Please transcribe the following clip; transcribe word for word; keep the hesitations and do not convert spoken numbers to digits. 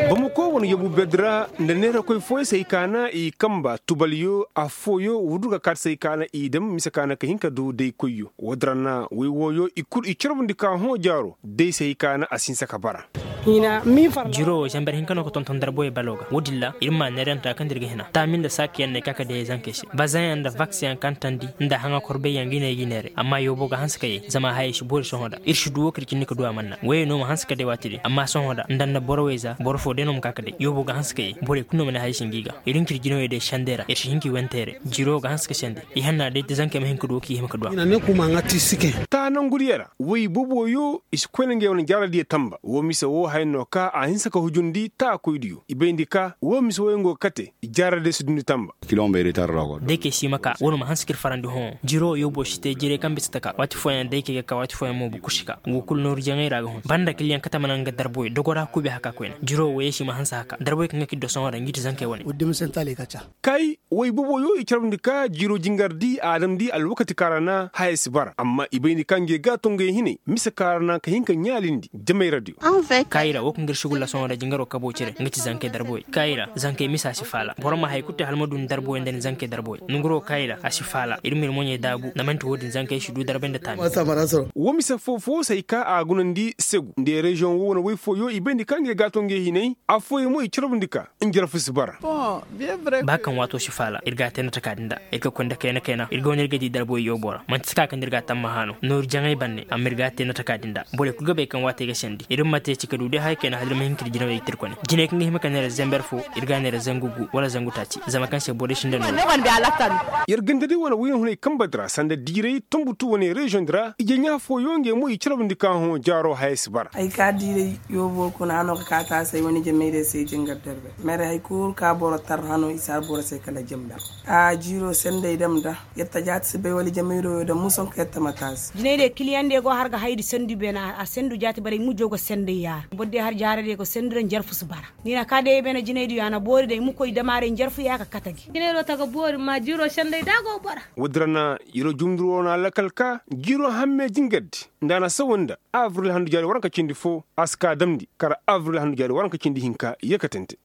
Bamako wane yabu bedra nda neerakoy fooyaŋ se ay kaana i kamba tubalyo affooyo wudurga kaati se ay kaana i dam mise kaana ka hin ka du day koyyo. Woodin ra na way wooyo i kulu i carbundi ka hõ jaaro day se ay kaana a si hinsa ka bara. Jiro wo zamber hinka no ga tonton darboy balo ga woodin ra iri ma neeranta kaŋ da iri ga hina taami nda saaki yaŋ no ay ka ka day zankey se bazaŋ yaŋ nda vaks yaŋ kaŋ tandi nda haŋa korbey yaŋ ga i ne ay ga i neeray amma yoobo ga hanse ka ye zama hayey si boori sohõ da iri si du wo kaŋ iri cindi ka du a manna wayey no ma hanse ka day waati din amma sohõ da nda nda boro wayza boro fo day no ma ka ka day yoobo ga hanse ka ye borey kulu no ma ne hayey si hin ga i ga iri hin ka iri jinawey day sendey ra iri si hin ka i wanteeray jiro ga hanse ka sende i hanna day da zankey ma hin ka du wo kaŋ i hima ka du a. Taa nangu diya ra way boobo yo i si koyne ngey wane jaaradiyo tamba wo mise wo haya no ka a hinse ka hujundi taakoydiyo i bayndi ka wo mise wo yaŋ go ga kate i jaaradiyo si dundi tamba. Day kay si ma ka wano ma hanse ka iri farandi hõ jiro yoobo si te jiray kaŋ bisa taka waati fooyaŋ day kay ga ka waati fooyaŋ mo bukku si ka wo kulu nooru jaŋay ra ga hun banda kiliyaŋ katama naŋ ga darboy dogora kuubi haka koyne jiro wo ye si ma hanse haka darboy kaŋ ga kiddo sohõ ra nga ti zankey wane. Kay way boobo yo i carbundi ka jiiro jingar di a damndi alwakati kaŋ ra na hayey si bara amma i bay ni kaŋ ga ye ga to ngey hinay mise kaŋ ra na ka hin ka ɲaalindi jamay radio. Kaayira wo kaŋ ga iri sugulla sohõ ra jingaro kabo cire nga ti zankey darboy kaayira zankey misa si faala boro ma hari kulu te hala ma du ni darboy nda ni zankey darboy nanguro kaayira a si faala iri ma iri moɲey daabu na manti wo- din zankey si du darbay nda taami. Wo mise fo fo se ay ka a gunandi segu nda reziyoŋ wo wane way fooyo i bay ni kaŋ ga ye ga to ngey hinay afooyaŋ mo i carbundi ka njarfu si bara. Ba kaŋ waato si faala iri ga a te no taka din da iri ga konda kayna kayna iri ga wane iri ga di darboy yoobo ra manti saka kaŋ da iri ga a tammaha no nooru jaŋay banne amma iri ga a te no taka din da borey kulu ga bay kaŋ waatey ga sandi iri ma te ci ka du day haya kayna hala iri ma hin ka iri jinawey ga tirkone jinay kaŋ ga hima ka neera zamber fo iri ga a neera zangu gu wala zangu taaci zama kaŋ se borey sinda nooru. Yer ganda day wane wayyaŋ hunay kambe di ra sanda diiray tumbutu wane reziyoŋ di ra ije ɲa fooyaŋ ngey mo i carbundi ka hõ jaaro haya si bara. Ay ka diiray yoobo kuna hano ga ka taasay wane jamay day se jingar darbe mere hari kulu ka boro tar hano i si har boro se kala jimda a jiiro sendey dam da yatta jaati si bay wala jamayro yo dam muson ka yatta ma taasi. Jinay day kiliyaŋ day go har ga haydi sendu beena a sendu jaati baray mujo ga sendey yaara boro day har jaara day ga sendu da njarfu si bara ni na ka day beena jinay diyo a na boori day mukoy damaray njarfu ya ga kata gi jinay do taga boori ma jiiro sendey da go bara. Woodin ra na yiro jumduro na lakal ka jiiro hamme jingar di nda a na sawa nda avril handu jaari waranka cindi fo a si ka damndi kala avril handu jaari waranka cindi hinka ye katante.